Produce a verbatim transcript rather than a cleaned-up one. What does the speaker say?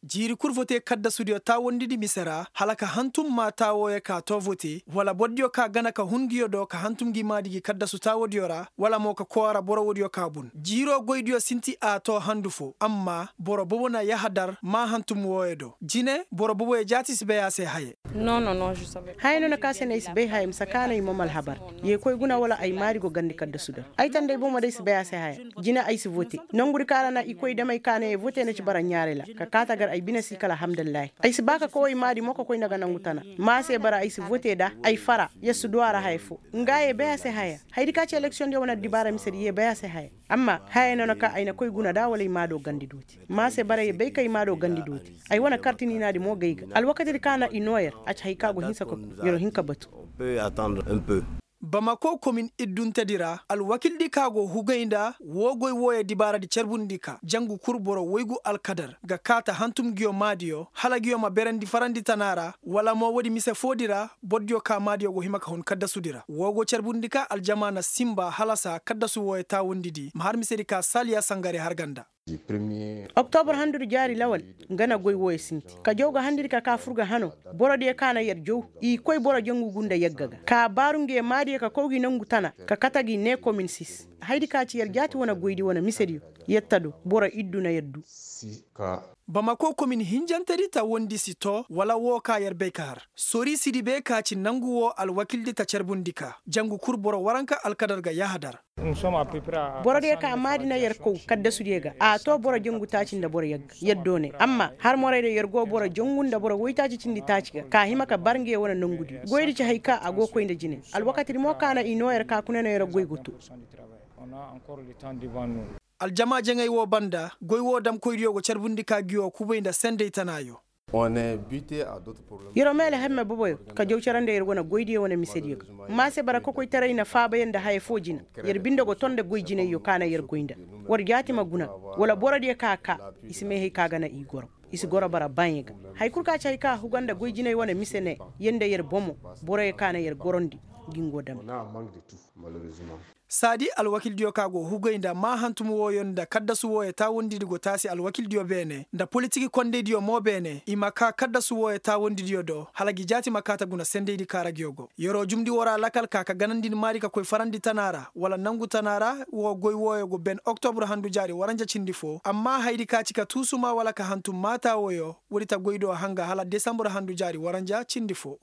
Jiiri kul vote kaddasudiyo taawandidi mise ra hala ka hantum maa taawooyo ka too vote wala bordiyo ka gana ka hun nguyo do ka hantum ngi maadi gi kaddasu taawodiyo ra wala mo ka koora boro woodiyo ka bun jiiroo goydiyo sinti a too handu foo amma boro bobo na yahadar maa hantum wooyo do jine boro boboyo jaati si bay a se haye. Haya no na ka se na ay si bay haya mise ka na i moom alhabar. Yee koy guna wala ay maadi go gandi kaddasu dar ay tanda ay bomo day si bay a se haya. Jine ay si vote nongudi ka ra na i koy damey ka na yee vote na ci bara ɲaaray ra ka kaata gar ay bine si kala alhamdulillahi ay si ba ka kow ay maadi mo ka koy nda ga nongu tana. Ma se bara ay si vote nda ay fara yer si du a ra haya foo. Nga yee bay a se haya. Hayadi ka ci eleksiyoŋ diyo wane addibaara misedi yee bay a se haya. Amma haya no na ka ay na koy guna nda wala ay maado gandi dooti. Ma se bara yee bay ka ay maado gandi dooti. Ay wane karti niinaadi mo gay ga alwakatidi ka na i noo yer a ci hay ka go hinsa ka ku. Yer hin ka batu. Bamako komin idduntedi ra alwakildi ka go hugay nda woo goy wooyo dibaaradi carbundi ka jangu kul boro woygu alkadar ga kaata hantum nguyo maadiyo hala nguyo ma berandi farandi tana ra wala mo woodi mise foodi ra. Bordiyo ka maadiyo go hima ka hun kaddasudi ra woo go carbundi ka aljama na sinba halasa kaddasu wooyo taawandidi ma har misedi ka saaliya sangare har ga nda. Oktobur handudi jaari lawal nga na goy wooyo sinti ka jaw ga handidi ka kaa fur ga hanoo. Borodiyo ka na yer jaw i koy boro jangu gu nda yagga ga ka baaru nge maadiyo ka kow gi nongu tana ka kate gi ne komin sis. Hayadi ka ci yer jaati wane goydi wane misediyo. Yer ta do boro iddu na yer du. Bamako komin hinjantedi ta wondi si too wala woo ka yer bay ka har sori sidi be ka ci nangu woo alwakildi ta carbundi ka jangu kul boro waranka alkadar ga yahadar. Borodiyo ka maadi na yer kow kaddasudiyo ga a too boro jangu taaci nda boro yagga yer doone amma har moraydiyo yer go boro jangu nda boro woytaaci cindi taaci ga ka hima ka bar nge wane nongudiyo goydi ci hay ka a go koy nda jine. Alwakatidi mo ka na i noo yer ka kuna no yer goy go too. Aljama jaŋay woo banda goy woo damkoydiyo go carbundi ka ngiyo kubay nda sendey tanaayo. Yer wo meele hemme boboyo ka jaw cere nda yer wane goydiyo wane misediyo ga. Ma se bara kokoytaray na faaba yer nda haya foo jina. Yer binde go ton nda goy jinayyo ka na yer goy nda. War jaati ma guna wala borodiyo ka kaa i si meehey ka ga na i goro. I si goro bara baŋya ga. Haya kul ka ci hay ka huga nda goy jinay wane mise ne yer nda yer bomo. Boroyo ka na yer gorondi ngi ngo dame. Saadi alwakildiyo ka go hugay nda maa hantum wooyo nda kaddasu wooyo taawandidi go taasi alwakildiyo beene nda politik kondeydiyo mo beene i ma kaa kaddasu wooyo taawandidiyo do hala ngi jaati ma kaa ta guna sendeydi ka ra ngiyo go. Yer'o jumndi woo ra lakal ka ka ganandi ni maadi ka koy farandi tana ra wala nangu tana ra. Woo goy wooyo go ben oktobur handu jaari waranja cindi foo amma hayadi ka ci ka tuusumaa wala ka hantum maa taawooyo. Woodi ta goy do hanga hala desambur handu jaari waranja cindi foo.